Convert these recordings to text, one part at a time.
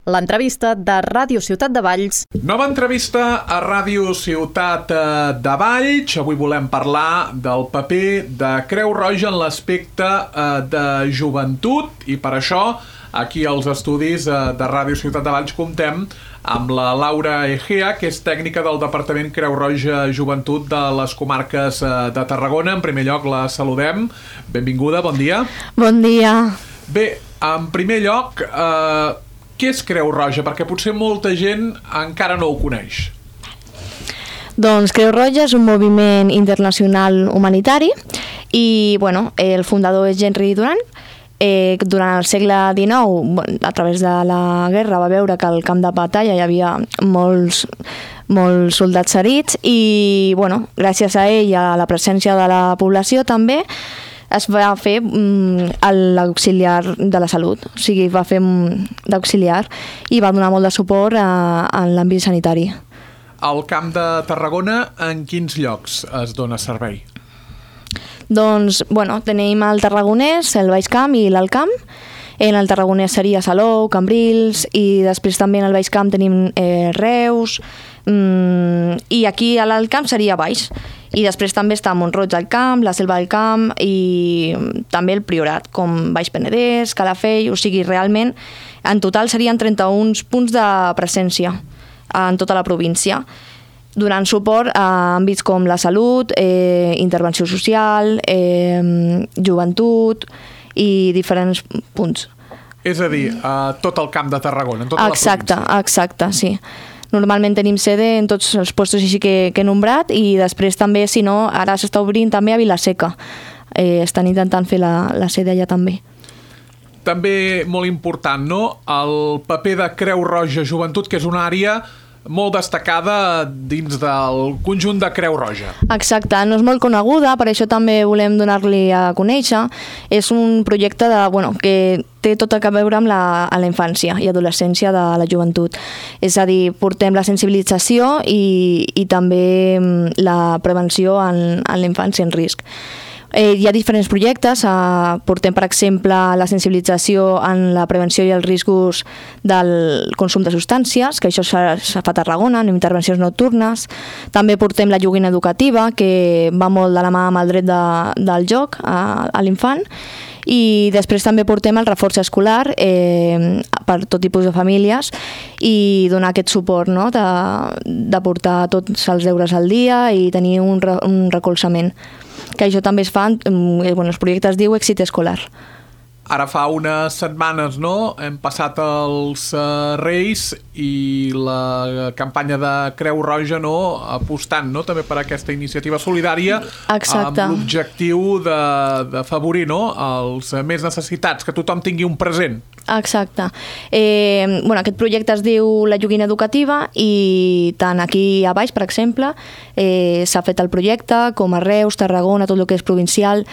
L'entrevista de Ràdio Ciutat de Valls. Nova entrevista a Ràdio Ciutat de Valls. Avui volem parlar del paper de Creu Roja en l'aspecte de joventut i per això aquí als estudis de Ràdio Ciutat de Valls comptem amb la Laura Egea, que és tècnica del Departament Creu Roja Joventut de les comarques de Tarragona. En primer lloc la saludem. Benvinguda, bon dia. Bon dia. Bé, en primer lloc, què és Creu Roja? Perquè potser molta gent encara no ho coneix. Doncs Creu Roja és un moviment internacional humanitari i el fundador és Henry Durant. Durant el segle XIX, a través de la guerra, va veure que al camp de batalla hi havia molts soldats ferits i gràcies a ell i a la presència de la població també es va fer l'auxiliar de la salut, o sigui, va fer d'auxiliar i va donar molt de suport en l'àmbit sanitari. Al Camp de Tarragona, en quins llocs es dona servei? Doncs, tenim el Tarragonès, el Baix Camp i l'Alt Camp. En el Tarragonès seria Salou, Cambrils i després també en el Baix Camp tenim Reus i aquí a l'Alt Camp seria Baix. I després també està Mont-roig al Camp, la Selva del Camp i també el Priorat, com Baix Penedès, Calafell, o sigui, realment en total serien 31 punts de presència en tota la província, donant suport a àmbits com la salut, intervenció social, joventut i diferents punts. És a dir, a tot el Camp de Tarragona, en tota la província. Exacte, sí. Normalment tenim sede en tots els puestos així que he nombrat i després també, si no, ara s'està obrint també a Vila-seca. Estan intentant fer la sede allà també. També molt important, no?, el paper de Creu Roja Joventut, que és una àrea molt destacada dins del conjunt de Creu Roja. Exacte, no és molt coneguda, per això també volem donar-li a conèixer. És un projecte que té tot a veure amb la infància i adolescència de la joventut. És a dir, portem la sensibilització i també la prevenció en la infància en risc. Hi ha diferents projectes, portem per exemple la sensibilització en la prevenció i els riscos del consum de substàncies, que això es fa a Tarragona, en intervencions nocturnes. També portem la joguina educativa, que va molt de la mà amb el dret del joc a l'infant. I després també portem el reforç escolar per tot tipus de famílies i donar aquest suport, no?, de portar tots els deures al dia i tenir un recolzament. Que això també es fa, els projectes diu èxit escolar. Ara fa unes setmanes, no?, hem passat els Reis i la campanya de Creu Roja, no?, apostant, no?, també per aquesta iniciativa solidària. Exacte. Amb l'objectiu d'afavorir, no?, els més necessitats, que tothom tingui un present. Exacte. Aquest projecte es diu la joguina educativa i tant aquí a baix, per exemple, s'ha fet el projecte, com a Reus, Tarragona, tot el que és provincial,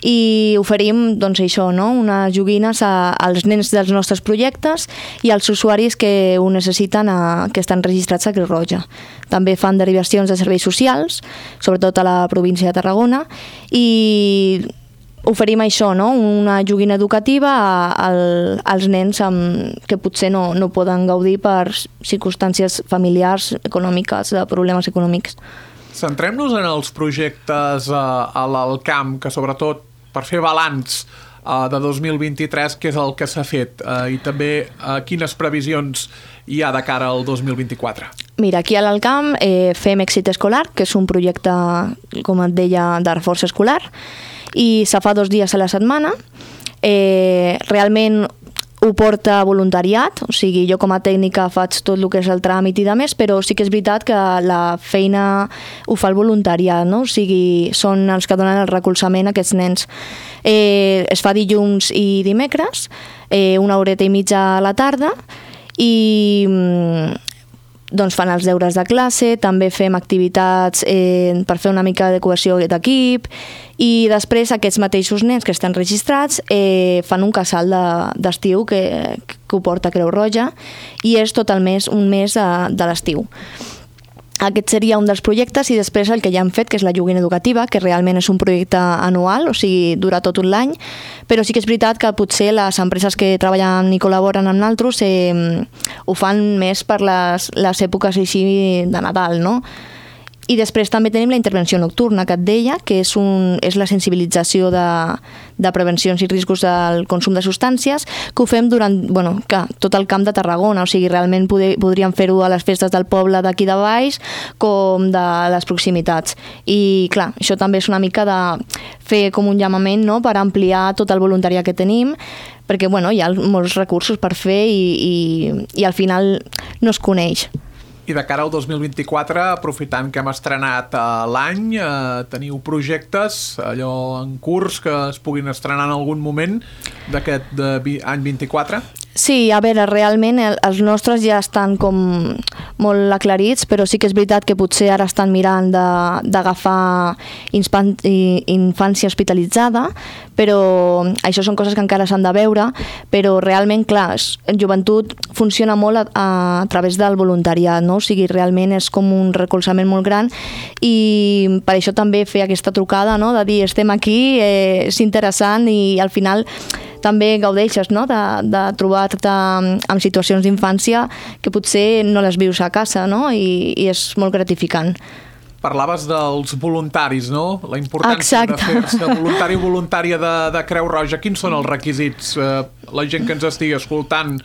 i oferim això, no?, unes joguines als nens dels nostres projectes i als usuaris que ho necessiten, que estan registrats a Creu Roja. També fan derivacions de serveis socials, sobretot a la província de Tarragona, i oferim això, no?, una joguina educativa als nens que potser no poden gaudir per circumstàncies familiars, econòmiques, de problemes econòmics. Centrem-nos en els projectes a l'Alt Camp, que sobretot per fer balanç de 2023, què és el que s'ha fet i també quines previsions hi ha de cara al 2024? Mira, aquí a l'Alt Camp fem èxit escolar, que és un projecte, com et deia, de reforç escolar, i se fa 2 dies a la setmana. Realment ho porta voluntariat, o sigui, jo com a tècnica faig tot el que és el tràmit i de més, però sí que és veritat que la feina ho fa el voluntariat, no? O sigui, són els que donen el recolzament a aquests nens. Es fa dilluns i dimecres, 1 horeta i mitja a la tarda, i fan els deures de classe, també fem activitats per fer una mica de cohesió d'equip i després aquests mateixos nens que estan registrats fan un casal d'estiu que ho porta Creu Roja i és tot el mes, un mes de l'estiu. Aquest seria un dels projectes i després el que ja hem fet, que és la joguina educativa, que realment és un projecte anual, o sigui, dura tot un any, però sí que és veritat que potser les empreses que treballen i col·laboren amb nosaltres ho fan més per les èpoques així de Nadal, no? I després també tenim la intervenció nocturna, que et deia, que és la sensibilització de prevencions i riscos del consum de substàncies, que ho fem durant tot el camp de Tarragona, o sigui, realment podríem fer-ho a les festes del poble d'aquí de Valls com de les proximitats. I clar, això també és una mica de fer com un llamament, no?, per ampliar tot el voluntariat que tenim, perquè hi ha molts recursos per fer i al final no es coneix. I de cara al 2024, aprofitant que hem estrenat l'any, teniu projectes allò en curs que es puguin estrenar en algun moment d'aquest any 24? Sí, a veure, realment els nostres ja estan com molt aclarits, però sí que és veritat que potser ara estan mirant d'agafar infància hospitalitzada, però això són coses que encara s'han de veure, però realment, clar, joventut funciona molt a través del voluntariat, no? O sigui, realment és com un recolzament molt gran i per això també fer aquesta trucada, no?, de dir estem aquí, és interessant i al final també gaudeixes, no?, de trobar-te en situacions d'infància que potser no les vius a casa, no?, i és molt gratificant. Parlaves dels voluntaris, no? La importància de fer-se voluntari o voluntària de Creu Roja. Quins són els requisits? La gent que ens estigui escoltant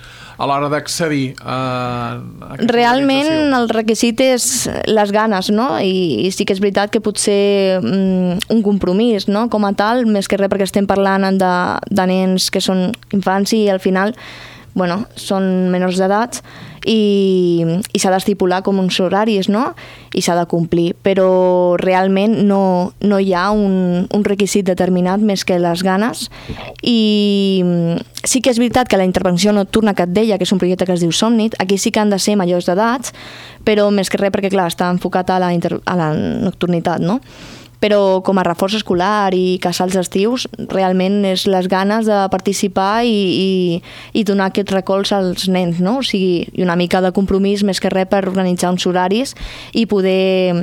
a l'hora d'accedir a aquesta realment organització. El requisit és les ganes, no? I sí que és veritat que potser un compromís, no?, com a tal, més que res perquè estem parlant de nens que són infants i al final són menors d'edat i s'ha d'estipular com uns horaris, no?, i s'ha de complir, però realment no hi ha un requisit determinat més que les ganes. I sí que és veritat que la intervenció nocturna que et deia, que és un projecte que es diu Somnit, aquí sí que han de ser majors d'edats, però més que res perquè, clar, està enfocat a la nocturnitat, no? Però com a reforç escolar i casals estius, realment és les ganes de participar i donar aquest recolz als nens, no? O sigui, i una mica de compromís més que res per organitzar uns horaris i poder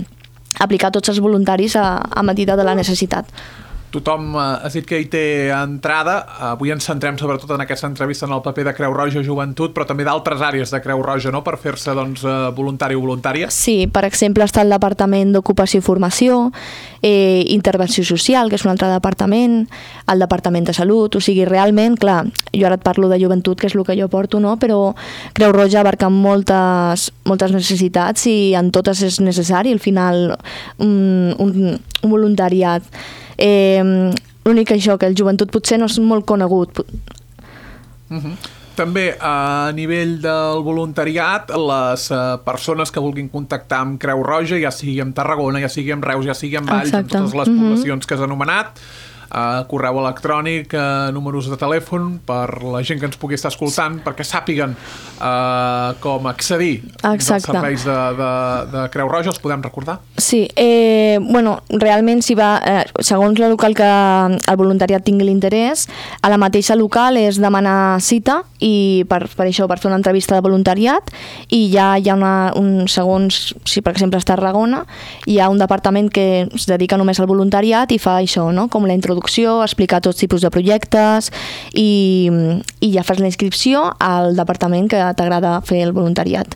aplicar tots els voluntaris a medida de la necessitat. Tothom has dit que hi té entrada. Avui ens centrem sobretot en aquesta entrevista en el paper de Creu Roja Joventut, però també d'altres àrees de Creu Roja, no?, per fer-se voluntari o voluntària. Sí, per exemple, està el Departament d'Ocupació i Formació, Intervenció Social, que és un altre departament, el Departament de Salut, o sigui, realment, clar, jo ara et parlo de joventut, que és el que jo porto, no?, però Creu Roja abarca moltes necessitats i en totes és necessari, al final, un voluntariat. L'únic això, que el joventut potser no és molt conegut. També a nivell del voluntariat, les persones que vulguin contactar amb Creu Roja, ja sigui amb Tarragona, ja sigui amb Reus, ja sigui amb Valls, amb totes les poblacions que has anomenat, correu electrònic, números de telèfon per la gent que ens pugui estar escoltant, perquè sàpiguen com accedir als serveis de Creu Roja. Els podem recordar? Sí, realment si va, segons el local que el voluntariat tingui l'interès, a la mateixa local és demanar cita i per això, per fer una entrevista de voluntariat, i ja hi ha segons, si per exemple és Tarragona, hi ha un departament que es dedica només al voluntariat i fa això, no?, com la introducció, explicar tots tipus de projectes i ja fas la inscripció al departament que t'agrada fer el voluntariat.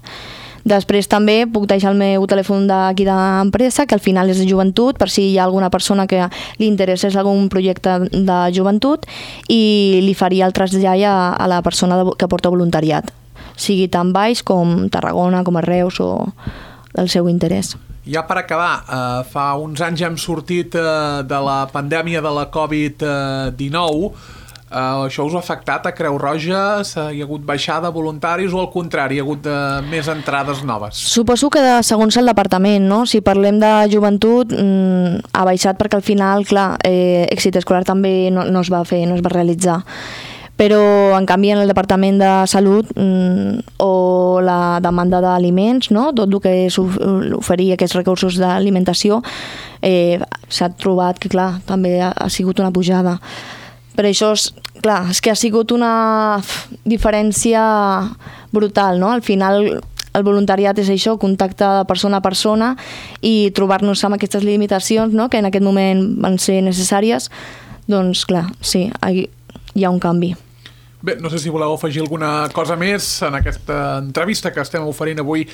Després també puc deixar el meu telèfon d'aquí d'empresa, que al final és de joventut, per si hi ha alguna persona que li interessés algun projecte de joventut, i li faria el trasllat a la persona que porta voluntariat, sigui tan Valls com Tarragona, com a Reus o del seu interès. Ja per acabar, fa uns anys ja hem sortit de la pandèmia de la Covid-19. Això us ha afectat a Creu Roja? Hi ha hagut baixada de voluntaris o al contrari, hi ha hagut més entrades noves? Suposo que segons el departament, no? Si parlem de joventut, ha baixat perquè al final, clar, èxit escolar també no es va fer, no es va realitzar. Però, en canvi, en el Departament de Salut o la demanda d'aliments, no?, tot el que és oferir aquests recursos d'alimentació, s'ha trobat que, clar, també ha sigut una pujada. Per això, clar, és que ha sigut una diferència brutal, no? Al final, el voluntariat és això, contacte de persona a persona i trobar-nos amb aquestes limitacions, no?, que en aquest moment van ser necessàries, doncs, clar, sí, hi ha un canvi. Bé, no sé si voleu afegir alguna cosa més en aquesta entrevista que estem oferint avui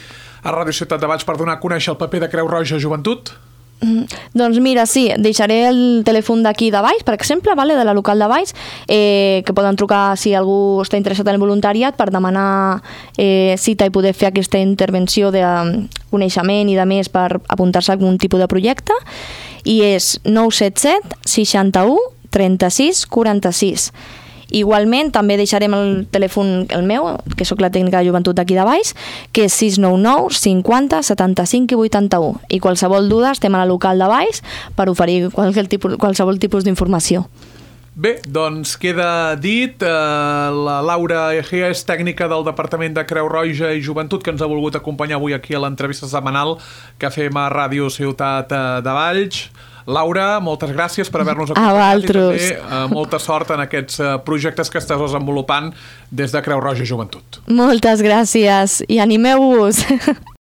a Ràdio Ciutat de Valls per donar a conèixer el paper de Creu Roja Joventut. Doncs mira, sí, deixaré el telèfon d'aquí de Valls, per exemple, de la local de Valls, que poden trucar si algú està interessat en el voluntariat per demanar cita i poder fer aquesta intervenció de coneixement i de més per apuntar-se a algun tipus de projecte, i és 977 61 36 46. Igualment, també deixarem el telèfon, el meu, que sóc la tècnica de joventut d'aquí de Valls, que és 699 50 75 i 81. I qualsevol duda estem a la local de Valls per oferir qualsevol tipus d'informació. Bé, doncs queda dit. La Laura Egea és tècnica del Departament de Creu Roja i Joventut, que ens ha volgut acompanyar avui aquí a l'entrevista setmanal que fem a Ràdio Ciutat de Valls. Laura, moltes gràcies per haver-nos acompanyat i també molta sort en aquests projectes que estàs desenvolupant des de Creu Roja Joventut. Moltes gràcies i animeu-vos!